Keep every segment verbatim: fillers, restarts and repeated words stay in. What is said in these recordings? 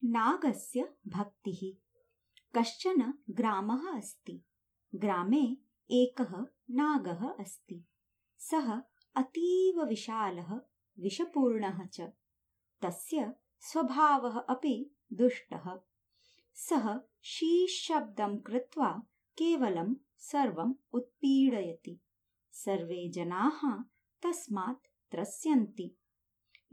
नागस्य भक्तिः। कश्चन ग्रामः अस्ति। ग्रामे एकः नागः अस्ति। सः अतीव विशालः, विषपूर्णः च। तस्य स्वभावः अपि दुष्टः। सः शीशब्दं कृत्वा केवलं सर्वम् उत्पीडयति। सर्वे जनाः तस्मात् त्रस्यन्ति।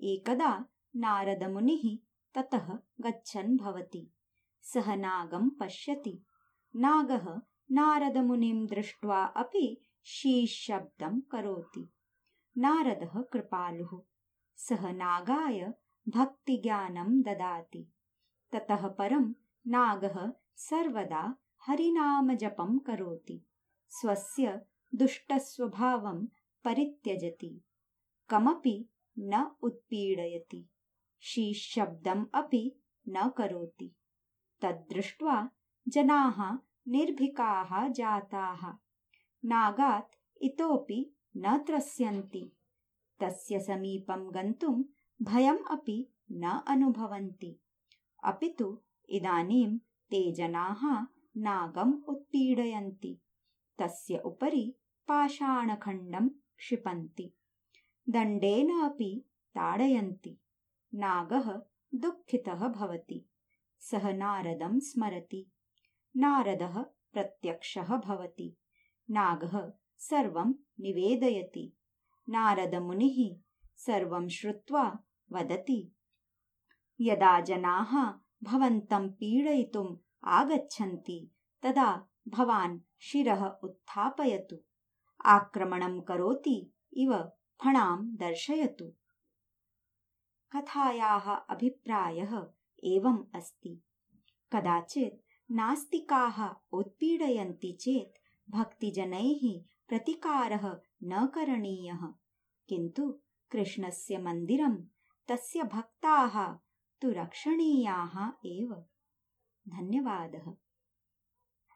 एकदा नारदमुनिः ततः गच्छन् भवति। सः नागं पश्यति। नागः नारदमुनिं दृष्ट्वा अपि शीशब्दं करोति। नारदः कृपालुः। सः नागाय भक्तिज्ञानं ददाति। ततः परं नागः सर्वदा हरिनामजपं करोति। स्वस्य दुष्टस्वभावं परित्यजति। कमपि न उत्पीडयति। शीशब्दम् अपि न करोति। तद्दृष्ट्वा जनाः निर्भीकाः जाताः। नागात् इतोपि न त्रस्यन्ति। तस्य समीपं गन्तुं भयम् अपि न अनुभवन्ति। अपि तु इदानीं ते जनाः नागम् उत्पीडयन्ति। तस्य उपरि पाषाणखण्डं क्षिपन्ति। दण्डेन अपि ताडयन्ति। नागः दुःखितः भवति। सः नारदं स्मरति। नारदः प्रत्यक्षः भवति। नागः सर्वं निवेदयति। नारदमुनिः सर्वं श्रुत्वा वदति, यदा जनाः भवन्तं पीडयितुम् आगच्छन्ति तदा भवान् शिरः उत्थापयतु। आक्रमणं करोति इव फणां दर्शयतु। कथायाः अभिप्रायः एवम् अस्ति। कदाचित् नास्तिकाः उत्पीडयन्ति चेत् भक्तिजनैः प्रतिकारः न करणीयः। किन्तु कृष्णस्य मन्दिरं, तस्य भक्ताः तु रक्षणीयाः एव। धन्यवादः।